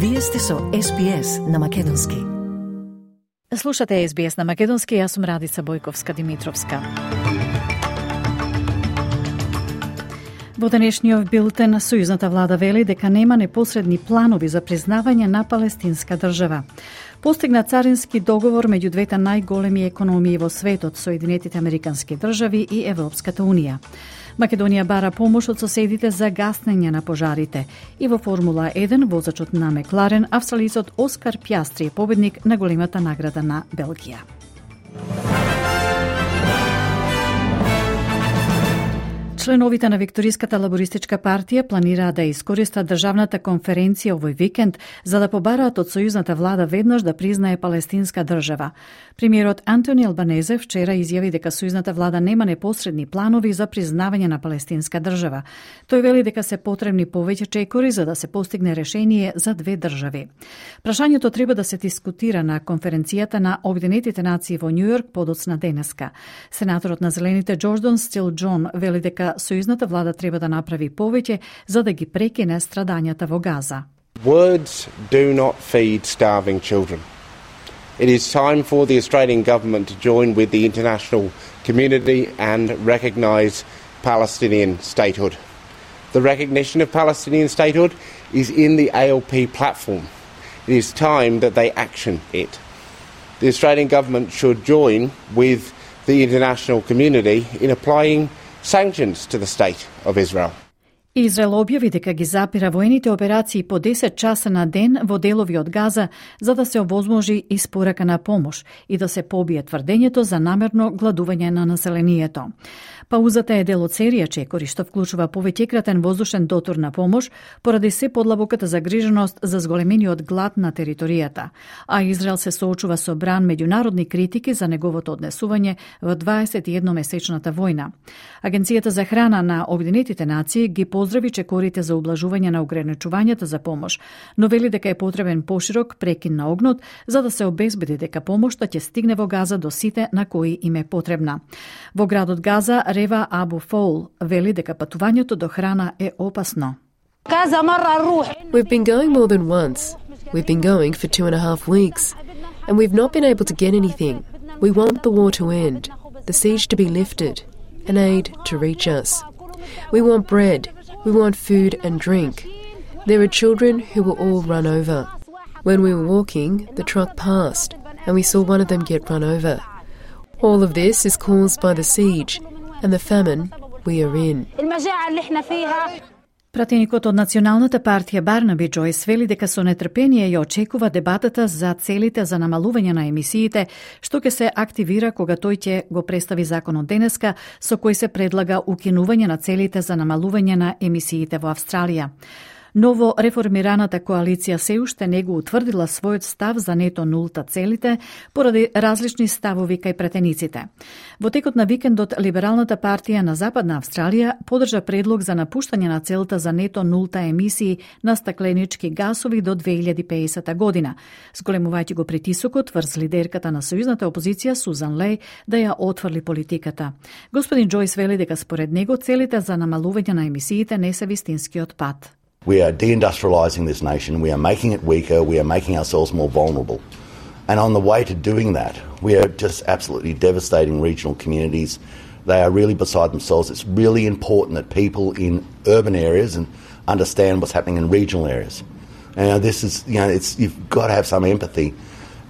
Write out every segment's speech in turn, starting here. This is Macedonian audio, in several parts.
Вие сте со SBS на македонски. Слушате SBS на македонски, јас сум Радица Бојковска-Димитровска. Во денешниот билтен, сојузната влада вели дека нема непосредни планови за признавање на палестинска држава. Постигна царински договор меѓу двете најголеми економии во светот, Соединетите Американски држави и Европската Унија. Македонија бара помош од соседите за гаснење на пожарите. И во Формула 1, возачот на Мекларен, австралицот Оскар Пјастри е победник на големата награда на Белгија. Членовите на Викториската лабористичка партија планираат да искористат државната конференција овој викенд за да побараат од сојузната влада веднаш да признае палестинска држава. Премиерот Антони Албанезе вчера изјави дека сојузната влада нема непосредни планови за признавање на палестинска држава. Тој вели дека се потребни повеќе чекори за да се постигне решение за две држави. Прашањето треба да се дискутира на конференцијата на Обединетите нации во Њујорк подоцна денеска. Сенаторот на Зелените Џордан Стил Џон вели дека сојузната влада треба да направи повеќе за да ги прекине страдањата во Газа. Words do not feed starving children. It is time for the Australian government to join with the international community and recognise Palestinian statehood. The recognition of Palestinian statehood is in the ALP platform. It is time that they action it. The Australian government should join with the international community in applying sanctions to the state of Israel. Израел објави дека ги запира воените операции по 10 часа на ден во делови од Газа за да се овозможи испорака на помош и да се побие тврдењето за намерно гладување на населението. Паузата е дел од серија чекори што вклучува повеќекратен воздушен дотур на помош поради се подлабоката загриженост за зголемениот глад на територијата, а Израел се соочува со бран меѓународни критики за неговото однесување во 21-месечната војна. Агенцијата за храна на Обединетите нации ги поздрави чекорите за ублажување на ограничувањата за помош, но вели дека е потребен поширок прекин на огнот за да се обезбеди дека помошта ќе стигне во Газа до сите на кои им е потребна. Во градот Газа Рева Абу Фоул вели дека патувањето до храна е опасно. We've been going more than once. We've been going for 2.5 weeks, and we've not been able to get anything. We want the war to end, the siege to be lifted, and aid to reach us. We want bread, we want food and drink. There are children who will all run over. When we were walking, the truck passed, and we saw one of them get run over. All of this is caused by the siege and the famine we are in. Пратеникот од Националната партија Барнаби Џојс вели дека со нетрпение ја очекува дебатата за целите за намалување на емисиите, што ќе се активира кога тој ќе го представи законот денеска, со кој се предлага укинување на целите за намалување на емисиите во Австралија. Ново реформираната коалиција се уште не го утврдила својот став за нето нулта целите поради различни ставови кај пратениците. Во текот на викендот Либералната партија на Западна Австралија подржа предлог за напуштање на целта за нето нулта емисии на стакленички гасови до 2050 година, зголемувајќи го притисокот врз лидерката на сојузната опозиција Сузан Леј да ја отфрли политиката. Господин Џојс вели дека според него целите за намалување на емисиите не се вистинскиот пат. We are deindustrialising this nation, we are making it weaker, we are making ourselves more vulnerable. And on the way to doing that, we are just absolutely devastating regional communities. They are really beside themselves. It's really important that people in urban areas and understand what's happening in regional areas. And this is, you've got to have some empathy.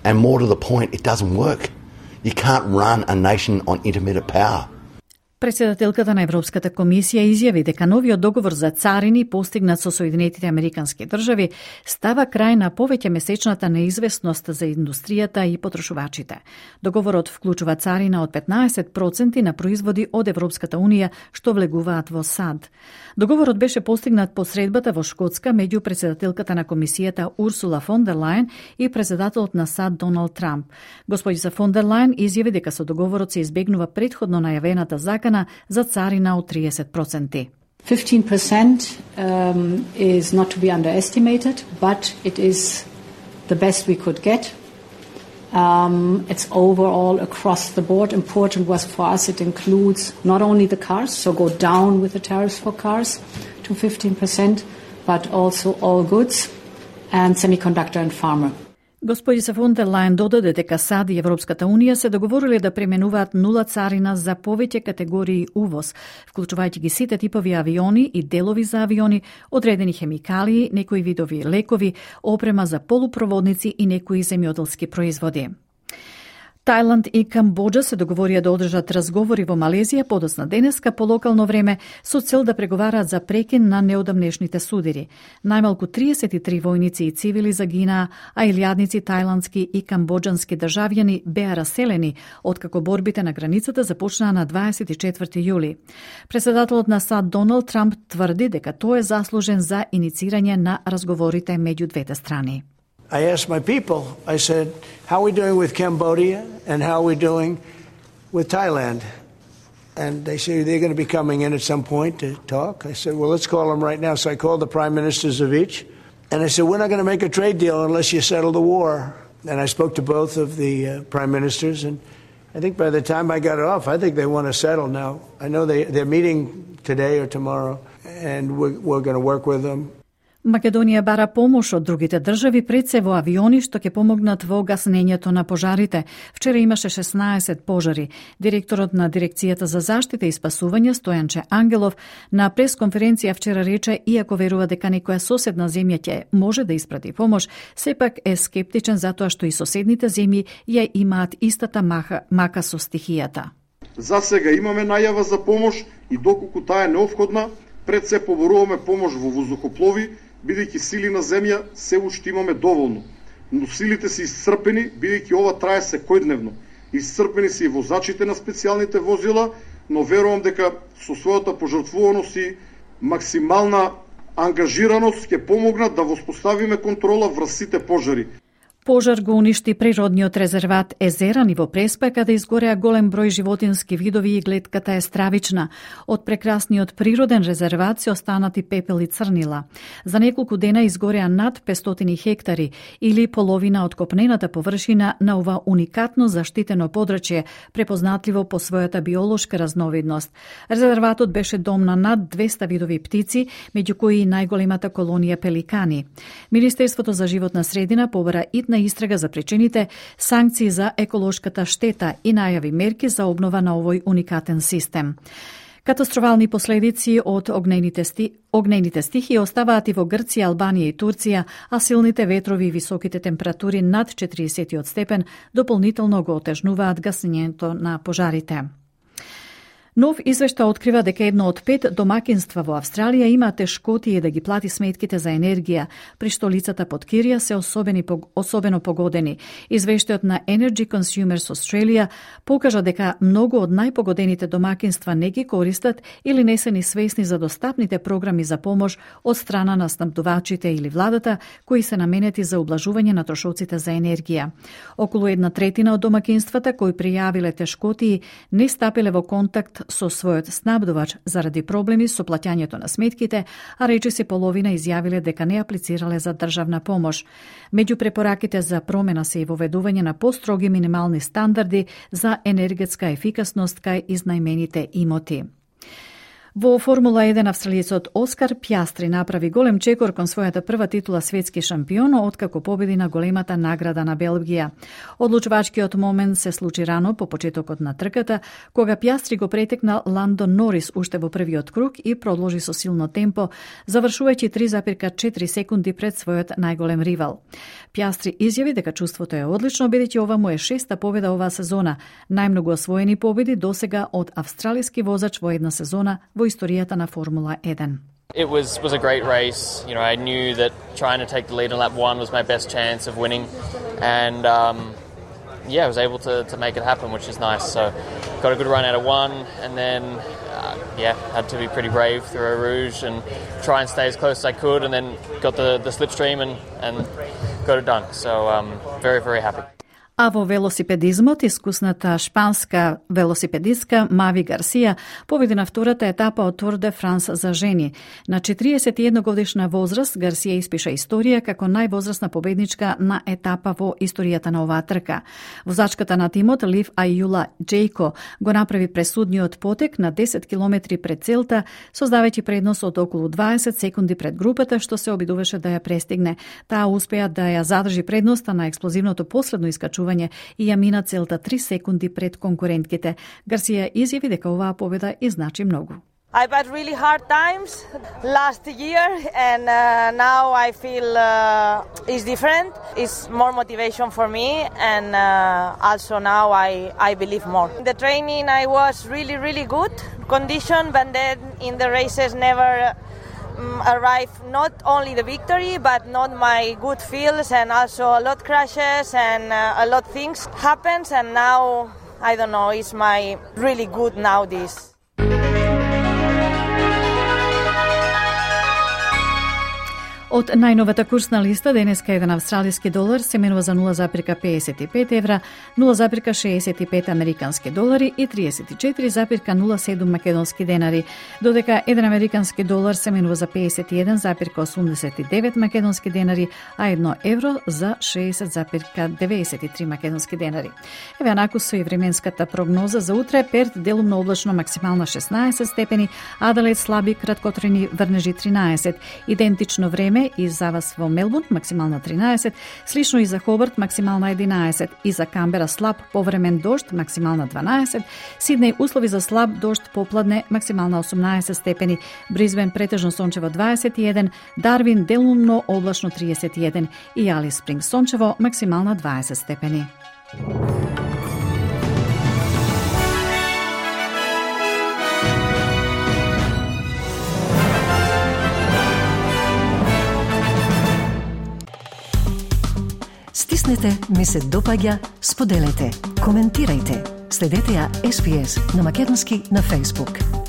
And more to the point, it doesn't work. You can't run a nation on intermittent power. Председателката на Европската комисија изјави дека новиот договор за царини постигнат со Соединетите Американски држави става крај на повеќе месечната неизвестност за индустријата и потрошувачите. Договорот вклучува царина од 15% на производи од Европската Унија што влегуваат во САД. Договорот беше постигнат по средбата во Шкотска меѓу председателката на комисијата Урсула фон дер Лајен и председателот на САД Доналд Трамп. Господица фон дер Лајен изјави дека со договорот се избегнува претходно најавената закана за царина од 30%. 15% is not to be underestimated, but it is the best we could get. It's overall across the board. Important was for us, it includes not only the cars, so go down with the tariffs for cars to 15%, but also all goods. and semiconductor and pharma. Господица фон дер Лајен додаде дека САД и Европската Унија се договориле да применуваат нула царина за повеќе категории увоз, вклучувајќи ги сите типови авиони и делови за авиони, одредени хемикалии, некои видови лекови, опрема за полупроводници и некои земјоделски производи. Тајланд и Камбоџа се договорија да одржат разговори во Малезија подоцна денеска по локално време со цел да преговараат за прекин на неодамнешните судири. Најмалку 33 војници и цивили загинаа, а илјадници тајландски и камбоџански државјани беа раселени откако борбите на границата започнаа на 24 јули. Председателот на САД Доналд Трамп тврди дека тој е заслужен за иницирање на разговорите меѓу двете страни. I asked my people, I said, how are we doing with Cambodia and how are we doing with Thailand? And they say they're going to be coming in at some point to talk. I said, well, let's call them right now. So I called the prime ministers of each. And I said, we're not going to make a trade deal unless you settle the war. And I spoke to both of the prime ministers. And I think by the time I got off, I think they want to settle now. I know they're meeting today or tomorrow, and we're going to work with them. Македонија бара помош од другите држави, пред се во авиони што ќе помогнат во гаснењето на пожарите. Вчера имаше 16 пожари. Директорот на Дирекцијата за заштита и спасување Стојанче Ангелов на пресконференција вчера рече, иако верува дека некоја соседна земја ќе може да испрати помош, сепак е скептичен затоа што и соседните земји ја имаат истата мака со стихијата. За сега имаме најава за помош и доколку таа е неопходна, пред се поборуваме помош во воздухоплови, бидејќи сили на земја се уште имаме доволно. Но силите се исцрпени, бидејќи ова трае секојдневно. Исцрпени се и возачите на специјалните возила, но верувам дека со својата пожртвуваност и максимална ангажираност ќе помогнат да воспоставиме контрола врз сите пожари. Пожар го уништи природниот резерват Езерани во Преспа, каде изгореа голем број животински видови и глетката е стравична. Од прекрасниот природен резерват се останати пепел и црнила. За неколку дена изгореа над 500 хектари или половина од копнената површина на ова уникатно заштитено подрачје, препознатливо по својата биолошка разновидност. Резерватот беше дом на над 200 видови птици, меѓу кои и најголемата колонија пеликани. Министерството за животна средина побара на истрага за причините, санкции за еколошката штета и најави мерки за обнова на овој уникатен систем. Катастрофални последици од огнените стихии оставаат и во Грција, Албанија и Турција, а силните ветрови и високите температури над 40 степен дополнително го отежнуваат гаснењето на пожарите. Нов извештај открива дека едно од 5 домакинства во Австралија има тешкотии да ги плати сметките за енергија, при што лицата под кирија се особено погодени. Извештајот на Energy Consumers Australia покажа дека многу од најпогодените домакинства не ги користат или не се ни свесни за достапните програми за помош од страна на снабдувачите или владата, кои се наменети за ублажување на трошоците за енергија. Околу 1/3 од домакинствата кои пријавиле тешкотии не стапиле во контакт со својот снабдувач заради проблеми со плаќањето на сметките, а речиси половина изјавиле дека не аплицирале за државна помош. Меѓу препораките за промена се и воведување на построги минимални стандарди за енергетска ефикасност кај изнајмените имоти. Во Формула 1 австралиецот Оскар Пјастри направи голем чекор кон својата прва титула светски шампион откако победи на големата награда на Белгија. Одлучувачкиот момент се случи рано по почетокот на трката, кога Пјастри го претекна Ландон Норис уште во првиот круг и продолжи со силно темпо, завршувајќи 3,4 секунди пред својот најголем ривал. Пјастри изјави дека чувството е одлично, бидејќи ова му е 6-та победа оваа сезона, најмногу освоени победи досега од австралиски возач во една сезона во историјата на Формула 1. It was a great race. You know, I knew that trying to take the lead on lap 1 was my best chance of winning, and I was able to make it happen, which is nice. So got a good run out of 1, and then had to be pretty brave through Eau Rouge and try and stay as close as I could, and then got the slipstream and got it done. So very, very happy. А во велосипедизмот, искусната шпанска велосипедистка Мави Гарсија победи на втората етапа од Тур де Франс за жени. На 41 годишна возраст Гарсија испиша историја како највозрастна победничка на етапа во историјата на оваа трка. Возачката на тимот Лив Ајула Джейко го направи пресудниот потек на 10 километри пред целта, создавајќи предност од околу 20 секунди пред групата, што се обидуваше да ја престигне. Таа успеа да ја задржи предноста на експлозивното последно искачување и ја мина целта 3 секунди пред конкурентките. Гарсија изјави дека оваа победа и значи многу. I've had really hard times last year, and now I feel it's different. It's more motivation for me, and also now I believe more. In the training I was really good condition, but then in the races never arrive not only the victory, but not my good feels, and also a lot crashes and a lot things happens, and now I don't know, it's my really good now this. Од најновата курсна листа денеска еден австралиски долар се менува за 0,55 евра, 0,65 американски долари и 34,07 македонски денари, додека еден американски долар се менува за 51,89 македонски денари, а 1 евро за 60,93 македонски денари. Еве анаку со и временската прогноза за утре: Перт делумно облачно, максимална 16 степени, Аделаид слаби краткотрени врнежи 13, идентично време и за вас во Мелбурн, максимална 13, слично и за Хобарт, максимална 11, и за Камбера слаб повремен дожд, максимална 12, Сиднеј услови за слаб дожд попладне, максимална 18 степени, Бризбен претежно сончево 21, Дарвин делумно облачно 31 и Алис Спрингс сончево, максимална 20 степени. Стиснете, ми се допаѓа, споделете, коментирајте. Следете ја SPS на македонски на Facebook.